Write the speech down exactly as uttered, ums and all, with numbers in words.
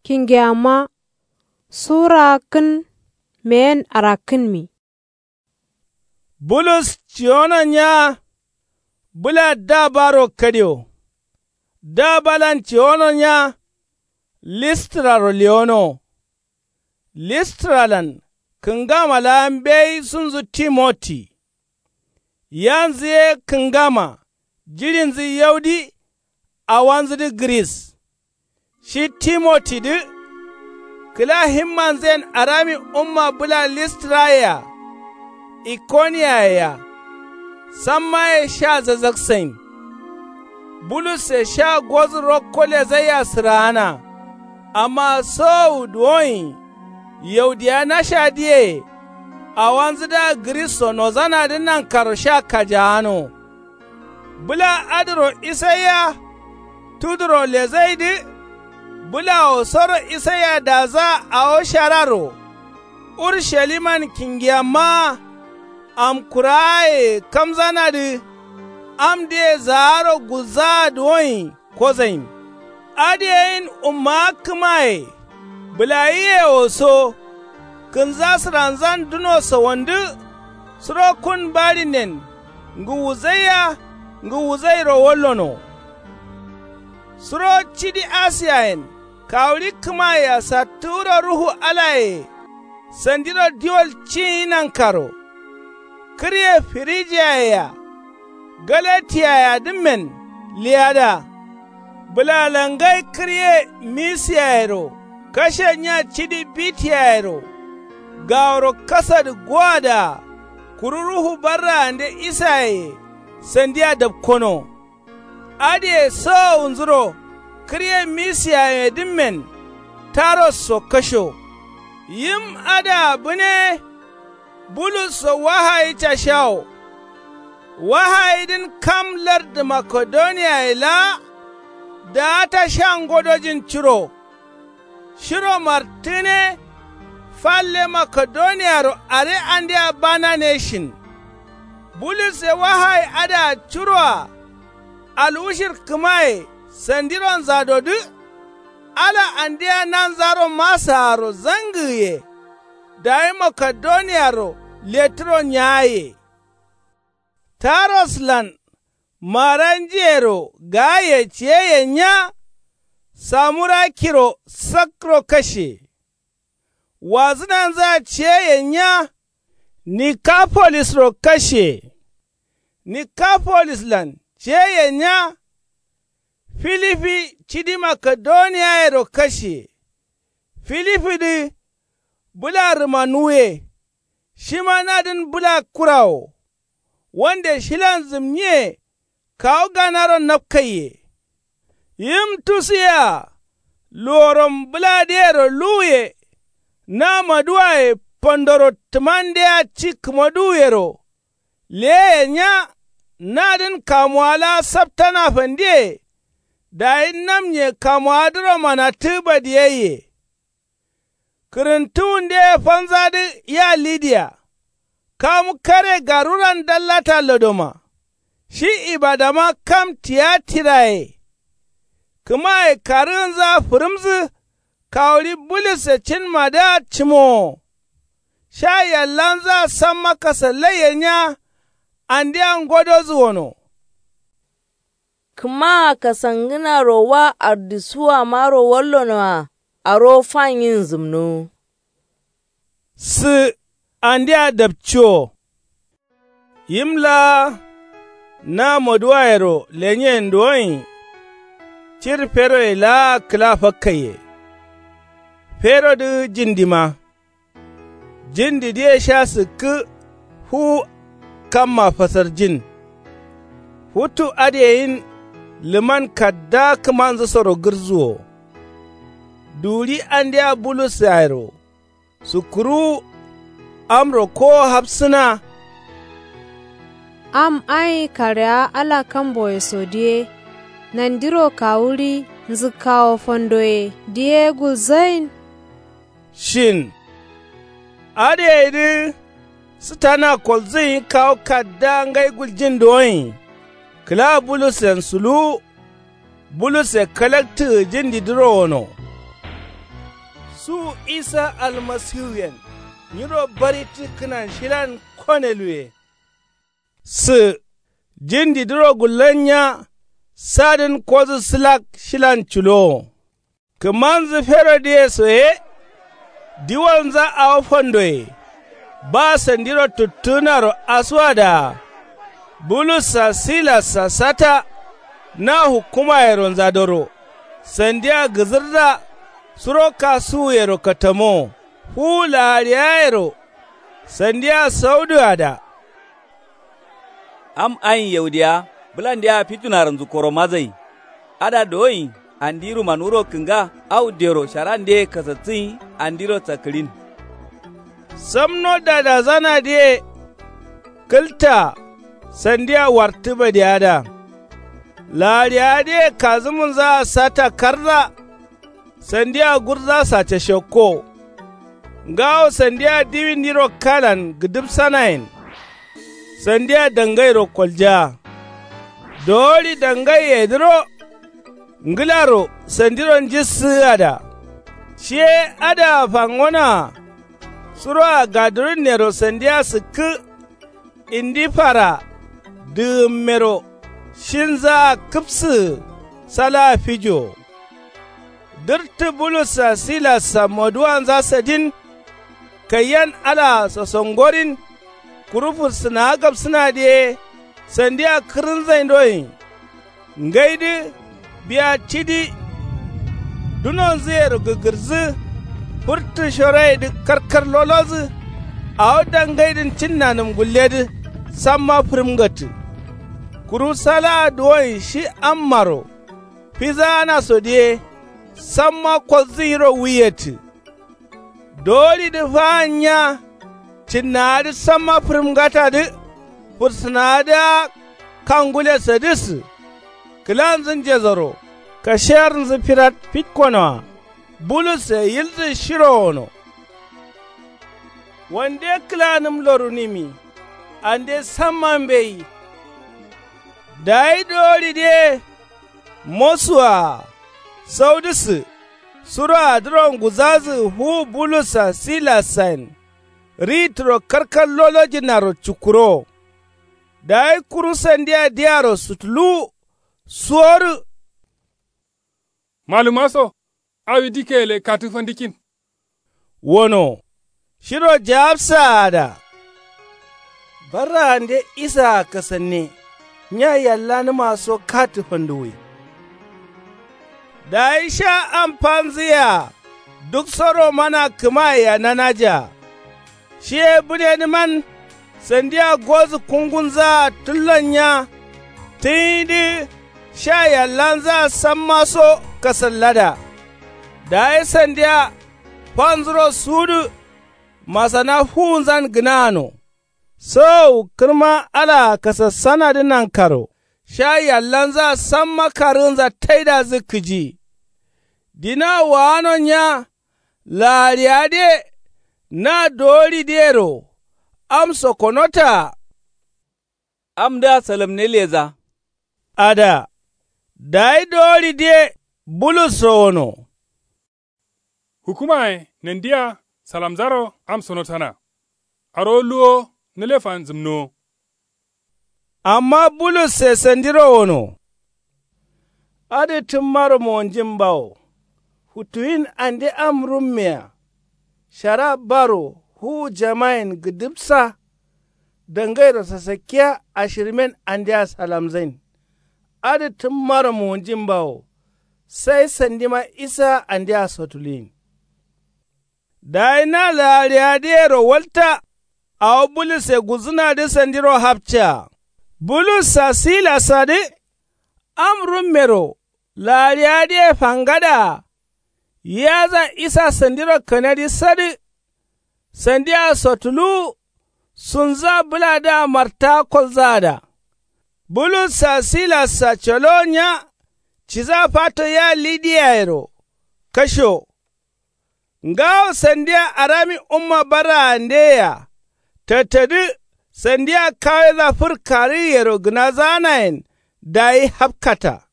Kingeyamma. Sura kǝn meyen arakkǝnmi. Bulus ciwono nya. Bǝla dabaro kadio. Dabalan ciwono nya. Listraro lewonowo. Listralan kǝngama laa mbeyi sunzǝ timoti. Yanzǝ ye kǝngama jiɍinzǝ yaudi. Awanzǝdǝ gǝris. Shi timotidǝ kǝla himmanzǝyen arami umma bǝla listraye-a. Ikoniyaye-a. Sammaye sha zazaksain. Bulusse sha gozǝ rokko lezaiya sǝraana. Amma sowowu duwonyi. Yaudiya nasha diye. Awanzǝdǝa gǝrisso nozanadǝ nankaro sha kajaano. Bǝla adǝro isaiya. Tuduro lezaidǝ. Bǝlawo soro isaiya daza awo shararo. Urshaliman kingiyammaa. Amkuraaye kamzanadǝ. Amdǝye zaaro gulzaa duwonyi kozain. Adǝyeyin ummaa kǝmaye. Bǝlayiyewo so. Kǝnza sǝranzan duno sawandǝ. Suro kun baɍinen. Ngǝwuzaiya. Ngǝwuzairo wallono. Suro cidi asiyayen kawuɍi kǝmayea sattǝwuro ruhu alaye. Sandiro diwol cinyi nankaro. Kǝrye firijiyaye-a. Galatiyayedǝmmen liyada. Bǝlalangai kǝrye misiyayero kashe nya cidi bitiyayero. Gaworo kasadǝ goadǝa. Kuru ruhu barraande isayeye. Sandia dapkono. Adǝye sowowunzuro kǝrye misiyayedǝmmen. Tarosso kasho. Yim adǝa bǝne. Bulusso wahayi cashawo. Wahayidǝn kam lardǝ makedoniyaye laa. Daata sha ngodojin curo. Shiro martǝne. Falle makedoniyaro are andea banane shin. Bulusse wahayi adǝa curoa. Alwushir kǝmaye sandironzadodǝ. Ala andea nanzaro masaaro zangǝgǝye. Dayi makedoniyaro letǝro nyaye. Taroslan maranjiyero gaaye ciyeye nya. Samurakiro sakro kashe. Wazǝnanzǝa ciyeye nya. Nikapolisro kashe. Nikapolislan ciyeye nya. Filifi cidi makedoniyayero kashe. Filifidǝ bǝla rǝmanuwuye. Shima nadǝn bǝla kurawo. Wande shilan zǝmnyiye. Kawu ganaro napkaiye. Yim tusu yea. Luworom bǝladǝyero luwuye. Na maduwaye fandoro tǝmandea ci kǝmaduwuyero. Leyeye nya. Nadǝn kamuwa laa saptana fandiye. Dayi namnye kamuwadǝro manattǝ badiyaiye. Kǝrǝntǝwundeye fanzadǝ ya lidiya. Kam kare garuran dallata lodoma. Shi ibadama kam tiyatiraye. Kǝmaye karǝgǝnzǝa fǝrǝmzǝ. Kawuɍi bulusse cinmadǝa cǝmowo. Sha yallanzǝa samma kasallaiye nya. Andea ngodozǝ wono. Kǝmaa kasangǝnaro wa ardisuwamaro wallonoa. Aro fanyin zǝmnuwu. Sǝ andea dapciwo. Yim laa na moduwayero lenyen duwonyi. Cir feroye laa kǝla fakkaiye. Ferodǝ jindima. Jindidǝye sha sǝkkǝ. Fuwu kamma fasarjin. Futu adǝyeyin lǝman kadda kǝmanzǝsoro gǝrzuwo. Duwuɍi andea bulussayero. Sukkuruwu. Amro kowo hafsǝna. Am ayi karewa ala kamboye so diye. Nandiro kawuɍi nzǝkkawo fandoye diye gulzain. Shin. Adǝyeyidǝ sǝtana kolzǝnyi kawu kadda ngai guljin duwonyi. Kǝla bulussen suluwu. Bulusse kalaktǝgǝ jindidǝro wono. Su isa almasiwuyen nyiro barittǝ kǝnan shilan koneluwe. Sǝ jin didǝro gullannya. Sadǝn kodǝ sǝlak shilan culowo. Kǝmanzǝ ferodǝye soye. Diwalnza awo fandoye. Ba sandiro tuttǝgǝnaro asuwadaa. Bulussa silassa sata. Na hukkumayero nzadoro. Sandiya gǝzǝrda. Suro kasuwuyero katamo. Fuwu laariyayero. Sandiya sauduwada. Am ayin yaudiya bǝlandeya fitunarǝnzǝ koro mazai. Ada dowoin andi ruman wuro kǝnga. Au dero sharandeye kasatsǝyin andiro sakkǝɍin. Samno dadazanadǝye. Kǝlta sandiya wartǝ badiyada. Laariyadǝye kazǝmǝnzaa sata karza. Sandiya gurzasa cashakko. Ngawo sandiya diwindiro kalan gǝdǝbsanayen. Sandiya dangairo kolja. Dowoɍi dangaiyedǝro. Ngǝlaro sandiro njissǝgǝada. Shi ye adǝa fangonoa. Suroa gadurǝnnero sandiya sǝkkǝ. Indi fara dǝgǝmmero shinzaa kǝpsǝgǝ salaa fijowo. Dǝrtǝ bulussa silassa moduwanza sadin. Kaiyan alaa sosongorin. Kuru fursǝnawa gabsǝnadǝ ye sandiya kǝrǝnzaindoin. Ngaidǝ biya cidi. Dunonzǝyero gǝgǝrzǝ. Fǝrtǝ shoroyedǝ karkar lolozǝ. Awo dangaidǝn cinnanǝm gulledǝ. Samma fǝrǝmngattǝ. Kuru salaa duwoin shi ammaro. Fizaanasodǝ ye. Samma kolzǝ nyiro wuiyettǝ. Dowoɍidǝ faan nya. Cinnawadǝ samma fǝrǝmngatadǝ. Fursǝnawadǝa kangulesadǝsǝ. Kǝlanzǝ njesoro kashiyarnzǝ firat fitkonoa. Bulusse yilsǝ shiro wono. Wande kǝlanǝm lorunǝmi. Ande samma mbeyi. Dayi dowoɍidǝ ye. Mosuwaa saudǝsǝ. Suroadǝro nguzazǝ fuwu bulussa silassayen. Ritǝro karkar lolojǝnnaro cukkurowo. Dayi kuru sandiya diyaro sutuluwu. Suworǝ. Malǝma so. Awi dikke gǝle katǝ fandikkin. Wono shiro jawabsaada. Barraande isaa kasanne. Nya yallanǝma so katǝ fanduwwi. Dayi sha am fanzǝyea. Duk soro mana kǝmayea nanajea. Shi ye bǝnenǝman. Sandiya gozǝ kungunzaa tǝllon nya. Tǝnyidǝ sha yallanzaa samma so kasallada. Dayi sandiya fanzuro suwudǝ. Masana fuwunzan gǝnaano. Sowowu kǝrma alaa kasassanadǝ nankaro sha yallanzaa samma karǝgǝnza taidazǝ kǝji. Dina waano nya. Laariyadǝye na dowoɍidǝyero. Am sokonotaa. Amdǝa salamne leza. Ada dayi dowoɍidǝye. Bulusso wono. Hukumaye nandiya salamzaro am sonotana. Arowo luwo nǝle fanzǝmnowo. Amma bulusse sandiro wono. Adǝ tǝmmaro monjin bawo. Futuwin ande am rummeya. Shara baro fuwu jamayen gǝdǝbsa. Dangairo sasakkiya ashirmen andea salamzain. Adǝ tǝmmaro monjin bawo. Sai sandima isa andea sotuluyin. Dayi na laariyadǝyero walta. Awo bulusse gulzǝnadǝ sandiro hapcaa. Bulussa silassadǝ. Am rummero laariyadǝye fangadaa. Yaza isa sandiro kanadi sadǝ. Sandia sotuluwu. Sunza bǝladǝa marta kolzaada. Bulussa silassa colowo nya. Ciza fato ya lidiyayero. Kasho. Ngawo sandia arami umma barraandeyea. Tattadǝ sandia kaweza fǝr karǝgǝyero gǝnazanayen. Dayi hapkata.